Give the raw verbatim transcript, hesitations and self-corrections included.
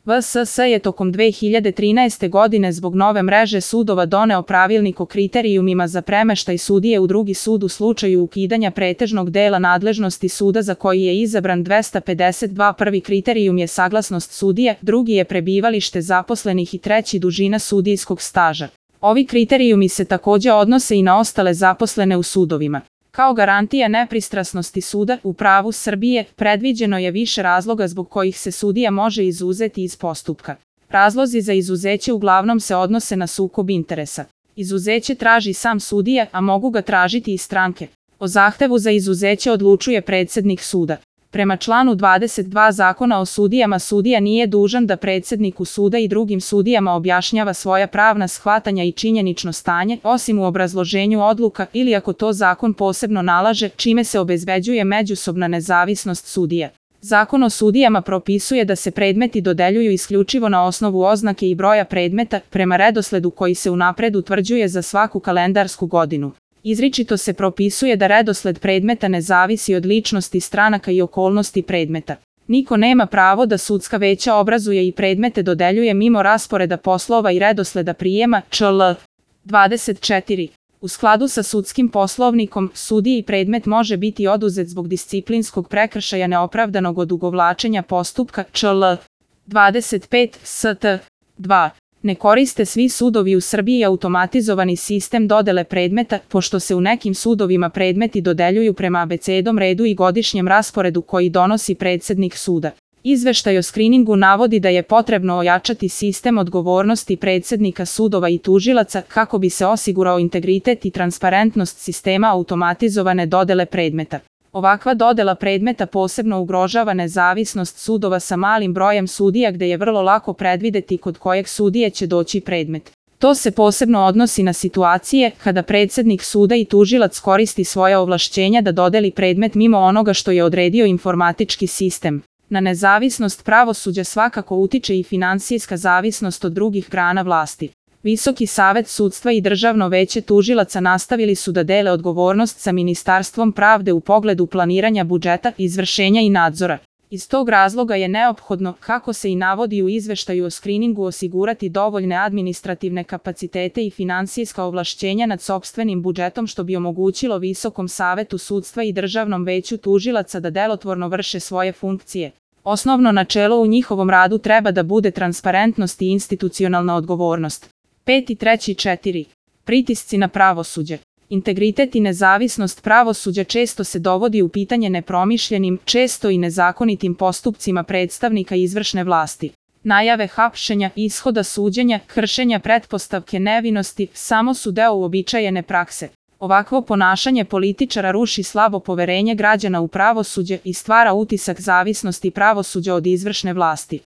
V S S je tokom dve hiljade trinaeste. godine zbog nove mreže sudova doneo pravilnik o kriterijumima za premeštaj sudije u drugi sud u slučaju ukidanja pretežnog dela nadležnosti suda za koji je izabran dvesta pedeset dva. Prvi kriterijum je saglasnost sudije, drugi je prebivalište zaposlenih i treći dužina sudijskog staža. Ovi kriterijumi se takođe odnose i na ostale zaposlene u sudovima. Kao garantija nepristrasnosti suda, u pravu Srbije, predviđeno je više razloga zbog kojih se sudija može izuzeti iz postupka. Razlozi za izuzeće uglavnom se odnose na sukob interesa. Izuzeće traži sam sudija, a mogu ga tražiti i stranke. O zahtevu za izuzeće odlučuje predsednik suda. Prema članu dvadeset dva Zakona o sudijama, sudija nije dužan da predsedniku suda i drugim sudijama objašnjava svoja pravna shvatanja i činjenično stanje, osim u obrazloženju odluka ili ako to zakon posebno nalaže, čime se obezbeđuje međusobna nezavisnost sudija. Zakon o sudijama propisuje da se predmeti dodeljuju isključivo na osnovu oznake i broja predmeta, prema redosledu koji se unapred utvrđuje za svaku kalendarsku godinu. Izričito se propisuje da redosled predmeta ne zavisi od ličnosti stranaka i okolnosti predmeta. Niko nema pravo da sudska veća obrazuje i predmete dodeljuje mimo rasporeda poslova i redosleda prijema, čl. dvadeset četiri. U skladu sa sudskim poslovnikom, sudiji predmet može biti oduzet zbog disciplinskog prekršaja neopravdanog odugovlačenja postupka, čl. dvadeset pet st. dva. Ne koriste svi sudovi u Srbiji automatizovani sistem dodele predmeta, pošto se u nekim sudovima predmeti dodeljuju prema abecednom redu i godišnjem rasporedu koji donosi predsednik suda. Izveštaj o skriningu navodi da je potrebno ojačati sistem odgovornosti predsednika sudova i tužilaca kako bi se osigurao integritet i transparentnost sistema automatizovane dodele predmeta. Ovakva dodela predmeta posebno ugrožava nezavisnost sudova sa malim brojem sudija gde je vrlo lako predvideti kod kojeg sudije će doći predmet. To se posebno odnosi na situacije kada predsednik suda i tužilac koristi svoja ovlašćenja da dodeli predmet mimo onoga što je odredio informatički sistem. Na nezavisnost pravosuđa svakako utiče i finansijska zavisnost od drugih grana vlasti. Visoki savet sudstva i Državno veće tužilaca nastavili su da dele odgovornost sa Ministarstvom pravde u pogledu planiranja budžeta, izvršenja i nadzora. Iz tog razloga je neophodno, kako se i navodi u izveštaju o skriningu, osigurati dovoljne administrativne kapacitete i finansijska ovlašćenja nad sopstvenim budžetom što bi omogućilo Visokom savetu sudstva i Državnom veću tužilaca da delotvorno vrše svoje funkcije. Osnovno načelo u njihovom radu treba da bude transparentnost i institucionalna odgovornost. pet i treći četiri. Pritisci na pravosuđe. Integritet i nezavisnost pravosuđa često se dovodi u pitanje nepromišljenim, često i nezakonitim postupcima predstavnika izvršne vlasti. Najave hapšenja, ishoda suđenja, kršenja pretpostavke nevinosti samo su deo uobičajene prakse. Ovakvo ponašanje političara ruši slabo poverenje građana u pravosuđe i stvara utisak zavisnosti pravosuđa od izvršne vlasti.